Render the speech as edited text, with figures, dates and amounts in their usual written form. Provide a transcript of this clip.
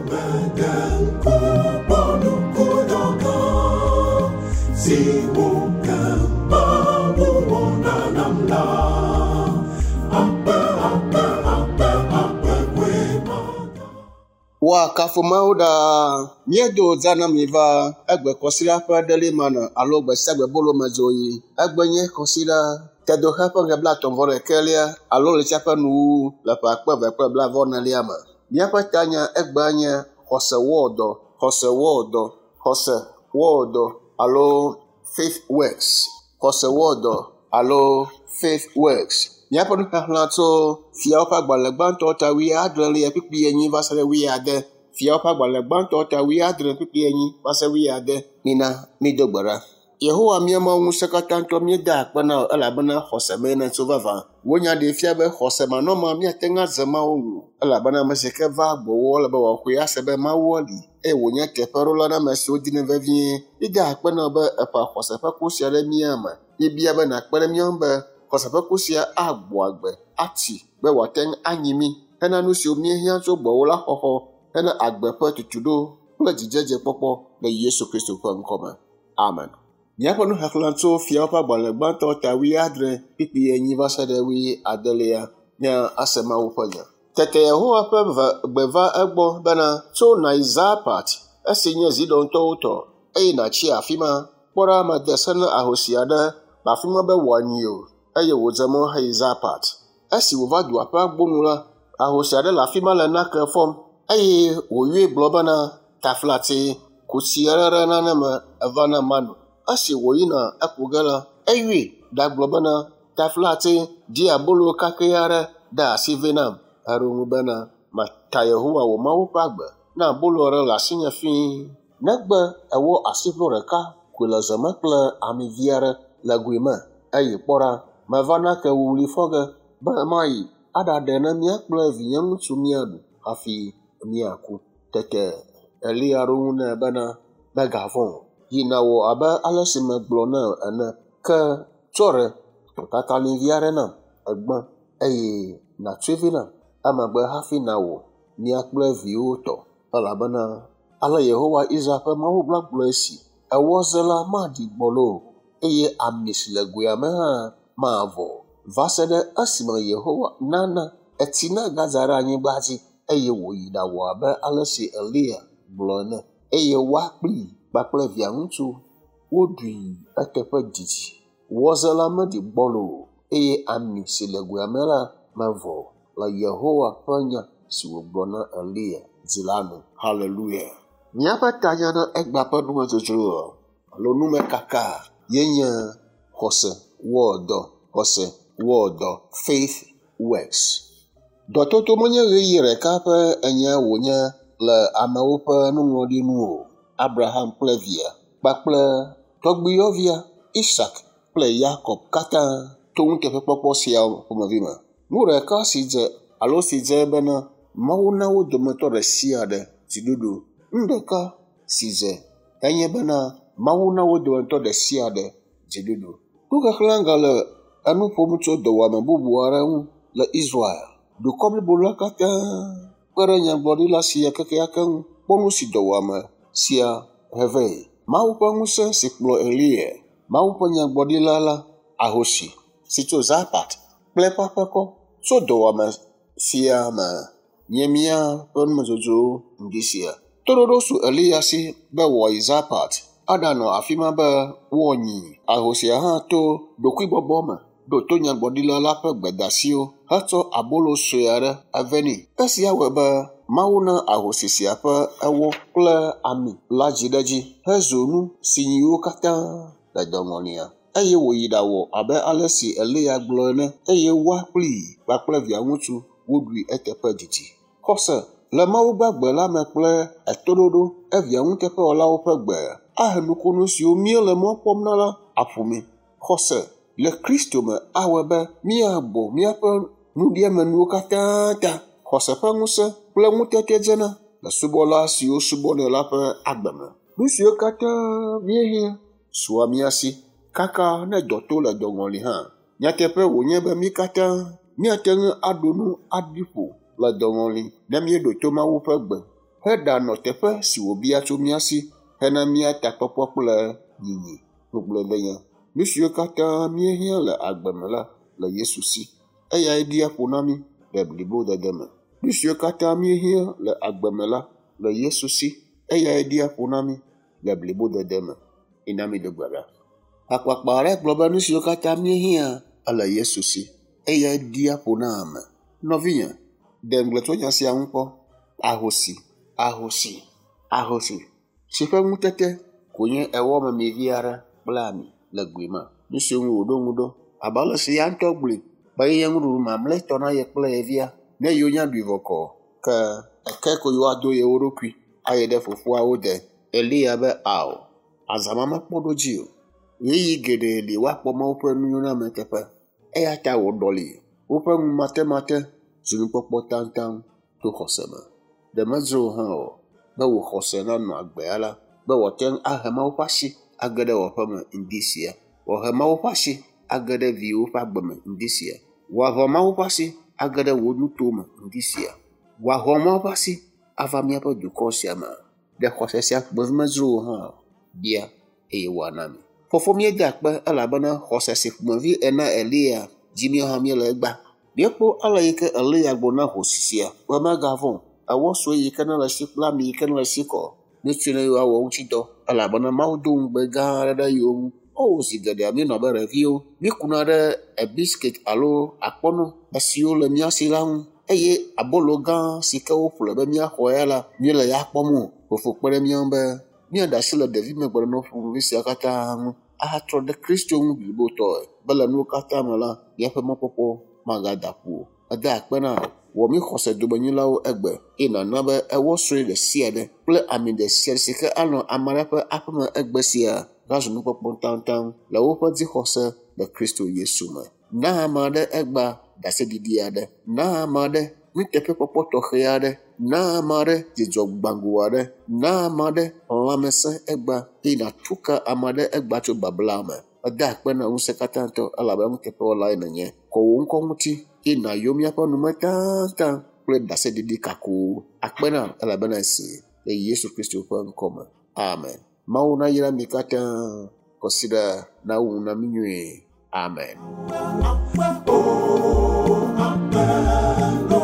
Meɖe ŋku kpɔ nukudɔ gã siwo ke Mawu wɔna nam la. Akpe, akpe, akpe, akpe koe mada. Woakafu Mawu ɖaa. Míedo za na mi va egbe kɔsiɖa ƒe ɖeli mana alo gbe sia gbe bolo me dzoɣi. Egbe nye kɔsiɖa tedoxe ƒe ŋkeke 31 alo ɣletia ƒe nuwuwu le ƒe 2024 me. Míaƒe tanya egbea nye xɔse wɔ dɔ, xɔse wɔ dɔ, xɔse wɔ dɔ alo faith works. Xɔse wɔ dɔ alo faith works. Míaƒe nuxexlẽ tso fiawo ƒe agbalẽ gbãtɔ ta 74 va se ɖe 80. Fiawo ƒe agbalẽ gbãtɔ ta 74 va se 80. Mina mído gbe ɖa. Yehowa mía Mawu ŋusẽkatãtɔ míeda akpe na wò elabena xɔse mee nètso vavã. Wò nya ɖee fia be xɔse manɔmea míate ŋu adze Mawu ŋu elabena ame si ke va gbɔwò ele be wòaxɔe ase be Mawu li eye wònye teƒeɖola na ame siwo dinɛ vevie. Míeda akpe na wò be eƒã xɔse ƒe ku sia ɖe mía me. Míebia be nàkpe ɖe mía ŋu be xɔse ƒe ku sia agbɔ agbe, atsi be wòate ŋu anyi mí hena nu siwo míehiã tso gbɔwò la xɔxɔ hena agbe ƒe tutuɖo kple dzidzedzekpɔkpɔ le Yesu Kristo ƒe ŋkɔme. Amen. Míaƒe nuxexlẽ tso fiawo ƒe agbalẽ gbãtɔ ta 74 va se ɖe 80 nye ase Mawu ƒe nya. Tete Yehowa ƒe gbe va egbɔ bena, tso nàyi Zarpat, esi nye Zidontɔwo tɔ, eye nàtsi afi ma. Kpɔ ɖa, mede se na ahosi aɖe le afi ma be wòanyi o, eye wòdze mɔ heyi Zarpat. Esi wòva dua ƒe agbo nu la, ahosi aɖe le afi ma le nake fɔm, eye wòyɔe gblɔ bena, taflatse, ku tsi aɖe ɖe nane me eva na mano. Esi wòyina eku ge la, eyɔe ɖagblɔ bena, taflatse, di abolo kakɛ aɖe ɖe asi vɛ nam. Eɖo ŋu bena, mata Yehowa wò Mawu ƒe agbe, ne abolo aɖe le asinye fĩi. Negbe ewɔ asiʋlo ɖeka koe le ze me kple ami vi aɖe le goe me eye kpɔ ɖa, meva nake wuwlui fɔ ge be mayi aɖaɖe ne mía kple vinyeŋutsu míaɖu hafi míaku. Tete Eliya ɖo ŋu nɛ bena, mègavɔ̃ o, yi nàwɔ abe ale si megblɔ na wò ene. Ke tsɔ ɖe tɔtatalĩvi aɖe nam egbã eye nàtsɔe vɛ nam. Emegbe hafi nàwɔ mía kple viwò tɔ elabena ale Yehowa Israel ƒe Mawu la gblɔ esi, ewɔ ze la maɖi gbɔlo o eye ami si le goea me hã mavɔ o va se ɖe esime Yehowa nana etsi nagadza ɖe anyigba dzi eye wòyi ɖawɔ abe ale si Eliya gblɔ ene. Eye woa kplii kpakple via ŋutsu woɖui eteƒe didi. Wɔze la meɖi gbɔlo o eye ami si le goea me la mevɔ o le Yehowa ƒe nya si wògblɔ na Eliya dzi la nu. Hallelujah. Míaƒe tanya na egbea ƒe numedzodzro alo numekaka ye nye xɔse wɔ dɔ, xɔse wɔ dɔ, faith works. Dɔtoto menye ɣeyiɣi ɖeka ƒe enya wònye le amewo ƒe nuŋlɔɖi nu o. Abraham kple via kpakple tɔgbuiyɔvia Isak kple Yakob katã to nuteƒekpɔkpɔ siawo ƒomevi me. Nu ɖeka si dze alo si dze bena Mawu na wo dometɔ ɖe sia ɖe dziɖuɖu. Nu ɖeka si dze enye bena Mawu na wo dometɔ ɖe sia ɖe dziɖuɖu. Nuxexlẽ gale enu ƒom tso dɔwɔame bubu aɖe ŋu le Israel. Dukɔ blibo la katã kpe ɖe nyagblɔɖila sia kekeake ŋu kpɔ nu si dɔwɔame sia he vɛ. Mawu ƒe ŋusẽ si kplɔ Eliya, Mawu ƒe nyagblɔɖila la, ahosi si tso Zarpat kple eƒe aƒekɔ tso dɔwɔame sia me nye míaƒe numedzodzro ŋdi sia. Toɖoɖo su Eliya si be wòayi Zarpat aɖanɔ afi ma be woanyi. Ahosia hã to ɖokuibɔbɔ me ɖo to nyagblɔɖila la ƒe gbedeasiwo hetsɔ abolo sue aɖe eve nɛ. Esia wɔe be Mawu na ahosi sia ƒe ewɔ kple ami la dzi ɖe edzi hezu nu si nyiwo katã le dɔŋɔlia. Eye wòyi ɖawɔ abe ale si Eliya gblɔ ene eye woa kplii kpakple via ŋutsu woɖui eteƒe didi. Xɔse le Mawu gbagbe la me kple etoɖoɖo evia nuteƒewɔlawo ƒe gbe ahe nukunu siwo míele mɔ kpɔm na la aƒu mí. Xɔse le Kristo me awɔe be míagbɔ míaƒe nuɖiamenuwo katã ta. Xɔse ƒe ŋusẽ kple ŋutete dzena le subɔla siwo subɔnɛ la ƒe agbe me. Nu siwo katã míehiã sua mía si kaka ne dɔ to le dɔŋɔli hã. Nyateƒe wònye be mí katã míate ŋu aɖu nu aɖi ƒo le dɔŋɔli ne míeɖo to Mawu ƒe gbe. heɖanɔ teƒe si wòbia tso mía si hena mía takpɔkpɔ kple nyinyi. Ŋugbledenya. Nu siwo katã míehiã le agbe me la le Yesu si. Eyae ɖia ƒo na mí le blibodede me. Nu siwo katã míehiã le agbe me la le Yesu si. Eyae ɖia ƒo na mí le blibodede me. Ina mi do gbe ɖa. Hakpakpa aɖe gblɔ be nu siwo katã míehiã ele Yesu si. Eyae ɖia ƒo na ame. Nɔvinye, ɖe ŋugble tso nya sia ŋu kpɔ. Ahosi, ahosi, ahosi si ƒe ŋutete ko nye ewɔ memi vi aɖe kple ami le goe me. Nu siwo ŋu wòɖo ŋu ɖo abe ale si ya ŋutɔ gblɔe be yenye nuɖuɖu mamlɛtɔ na ye kple ye via. Ne yewo nya ɖui vɔ kɔ ke eke ko yewoado yewo ɖokui ayi ɖe fofoawo de. Eliya be ao, azã ma mekpɔ ɖo dzi o. Ɣeyiɣi geɖe li woakpɔ Mawu ƒe nunyoname teƒe. Eya ta wòɖɔli woƒe ŋumatemate zu nukpɔkpɔ taŋtaŋ to xɔse me. Ɖe medzro wò hã o be wò xɔse nanɔ agbea la, be wòate ŋu ahe Mawu ƒe asi age ɖe wò aƒeme ŋdi sia. Wòahe Mawu ƒe asi age ɖe viwò ƒe agbe me ŋdi sia. Wòahe Mawu ƒe asi age ɖe wò nutome ŋdi sia. Wòahe Mawu ƒe asi ava míaƒe dukɔ sia me. Ɖe xɔse sia ƒomevi medzro wò hã o? Bia eye wòana mi. Fofo míeda akpe elabena xɔse si ƒomevi ena Eliya dzi míawo hã míele egbea. Míekpɔ ale yi ke Eliya gblɔ na hosi sia be megavɔ̃ o. Ewɔ sue yi ke nele esi kple ami yi ke nele esi kɔ. Nutsui ne yewoawɔ ŋuti dɔ elabena Mawu do ŋugbe gã aɖe ɖe yewo ŋu. O zi geɖea míenɔ abe ɖeviwo. Míekuna ɖe biskit alo akpɔnɔ esiwo le mía si la ŋu eye abolo gã si ke woƒle be míaxɔ ya la, míele ya kpɔm o. Fofo kpe ɖe mía ŋu be míaɖe asi le ɖevimegbenɔnɔ ƒomevi sia katã ŋu ahatrɔ ɖe Kristo ŋu blibotɔe be le nuwo katã me la, míaƒe mɔkpɔkpɔ magada ƒu o. Eda akpe na wò. Wɔ mí xɔse domenyilawo egbe eye nàna be ewɔ sue ɖe sia ɖe kple ami ɖe sia ɖe si ke anɔ ame aɖe ƒe aƒeme egbe sia nazu nukpɔkpɔ taŋtaŋ le woƒe dzixɔse le Kristo Yesu me. Na ame aɖe egbea ɖaseɖiɖi aɖe. Na ame aɖe nuteƒekpɔkpɔ tɔxɛ aɖe. Na ame aɖe dzidzɔ gbago aɖe. Na ame aɖe lãmesẽ egbea eye nàtu ka ame aɖe egbea tso babla me. Eda akpe na ŋusẽ katã tɔ elabena nuteƒewɔlae nènye. Kɔ wò ŋkɔ ŋuti eye nàyɔ míaƒe nume taŋtaŋ kple ɖaseɖiɖi kakowo. Akpe na elabena esi le Yesu Kristo ƒe ŋkɔ me. Amen. Mawu nayra mi katã. Kɔsiɖa nawu nu na mí nyuie. Amen. Oh, amen.